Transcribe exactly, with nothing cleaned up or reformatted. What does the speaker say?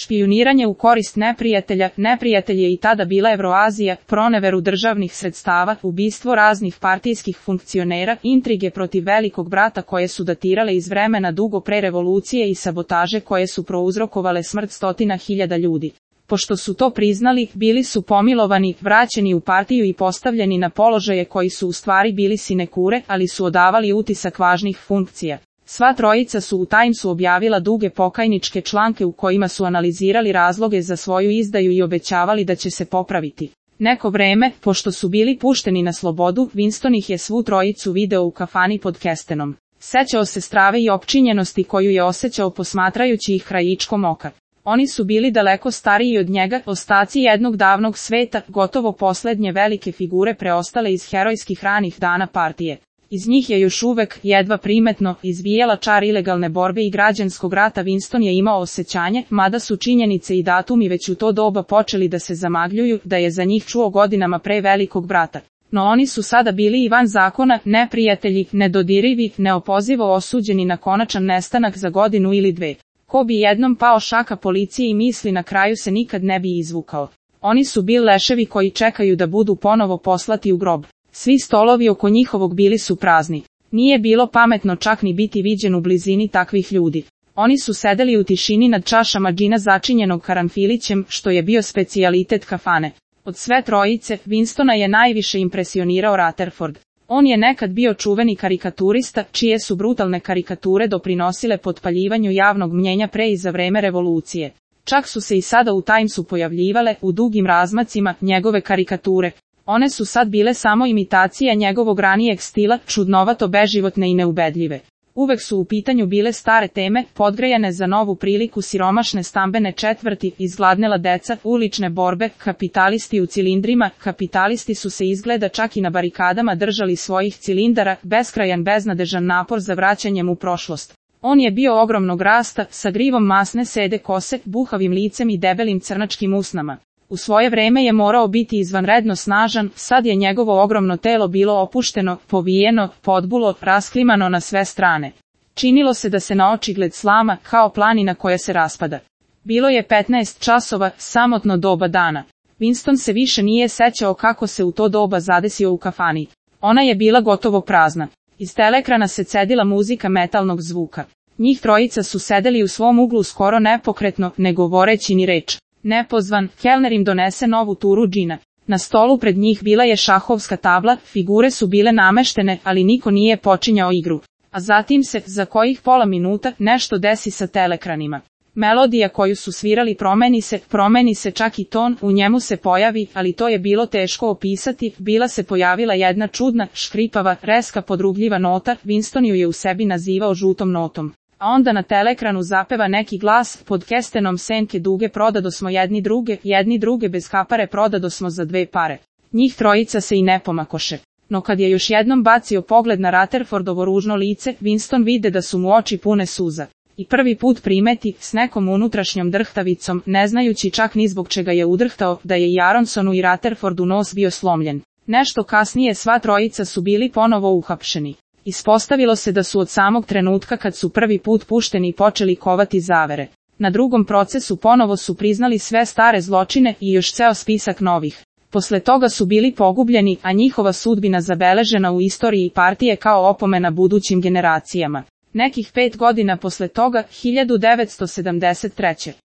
špijuniranje u korist neprijatelja, neprijatelj je i tada bila Evroazija, proneveru državnih sredstava, ubistvo raznih partijskih funkcionera, intrige protiv velikog brata koje su datirale iz vremena dugo pre revolucije i sabotaže koje su prouzrokovale smrt stotina hiljada ljudi. Pošto su to priznali, bili su pomilovani, vraćeni u partiju i postavljeni na položaje koji su u stvari bili sinekure, ali su odavali utisak važnih funkcija. Sva trojica su u Timesu objavila duge pokajničke članke u kojima su analizirali razloge za svoju izdaju i obećavali da će se popraviti. Neko vreme, pošto su bili pušteni na slobodu, Winston ih je svu trojicu video u kafani pod kestenom. Sećao se strave i opčinjenosti koju je osjećao posmatrajući ih krajičkom oka. Oni su bili daleko stariji od njega, ostaci jednog davnog sveta, gotovo poslednje velike figure preostale iz herojskih ranih dana partije. Iz njih je još uvek, jedva primetno, izvijala čar ilegalne borbe i građanskog rata. Winston je imao osjećanje, mada su činjenice i datumi već u to doba počeli da se zamagljuju, da je za njih čuo godinama pre velikog brata. No oni su sada bili i van zakona, neprijatelji, nedodirivi, neopozivo osuđeni na konačan nestanak za godinu ili dve. Ko bi jednom pao šaka policije i misli na kraju se nikad ne bi izvukao. Oni su bili leševi koji čekaju da budu ponovo poslati u grob. Svi stolovi oko njihovog bili su prazni. Nije bilo pametno čak ni biti viđen u blizini takvih ljudi. Oni su sedeli u tišini nad čašama džina začinjenog karanfilićem, što je bio specijalitet kafane. Od sve trojice, Winstona je najviše impresionirao Rutherford. On je nekad bio čuveni karikaturista, čije su brutalne karikature doprinosile potpaljivanju javnog mnjenja pre i za vreme revolucije. Čak su se i sada u Timesu pojavljivale, u dugim razmacima, njegove karikature. One su sad bile samo imitacija njegovog ranijeg stila, čudnovato beživotne i neubedljive. Uvek su u pitanju bile stare teme, podgrejane za novu priliku, siromašne stambene četvrti, izgladnela deca, ulične borbe, kapitalisti u cilindrima. Kapitalisti su se izgleda čak i na barikadama držali svojih cilindara, beskrajan beznadežan napor za vraćanjem u prošlost. On je bio ogromnog rasta, sa grivom masne sede kose, buhavim licem i debelim crnačkim usnama. U svoje vreme je morao biti izvanredno snažan, sad je njegovo ogromno telo bilo opušteno, povijeno, podbulo, rasklimano na sve strane. Činilo se da se na očigled slama, kao planina koja se raspada. Bilo je petnaest časova, samotno doba dana. Winston se više nije sećao kako se u to doba zadesio u kafani. Ona je bila gotovo prazna. Iz teleekrana se cedila muzika metalnog zvuka. Njih trojica su sedeli u svom uglu skoro nepokretno, ne govoreći ni reč. Nepozvan, kelner im donese novu turu džina. Na stolu pred njih bila je šahovska tabla, figure su bile nameštene, ali niko nije počinjao igru. A zatim se, za kojih pola minuta, nešto desi sa teleekranima. Melodija koju su svirali promeni se, promeni se čak i ton, u njemu se pojavi, ali to je bilo teško opisati, bila se pojavila jedna čudna, škripava, reska podrugljiva nota, Winston ju je u sebi nazivao žutom notom. A onda na teleekranu zapeva neki glas, pod kestenom senke duge prodadosmo jedni druge, jedni druge bez kapare prodadosmo za dve pare. Njih trojica se i ne pomakoše. No kad je još jednom bacio pogled na Rutherfordovo ružno lice, Winston vide da su mu oči pune suza. I prvi put primeti, s nekom unutrašnjom drhtavicom, ne znajući čak ni zbog čega je udrhtao, da je i Aronsonu i Rutherfordu nos bio slomljen. Nešto kasnije sva trojica su bili ponovo uhapšeni. Ispostavilo se da su od samog trenutka kad su prvi put pušteni počeli kovati zavere. Na drugom procesu ponovo su priznali sve stare zločine i još ceo spisak novih. Posle toga su bili pogubljeni, a njihova sudbina zabeležena u istoriji partije kao opomena budućim generacijama. Nekih pet godina posle toga, hiljadu devetsto sedamdeset treće.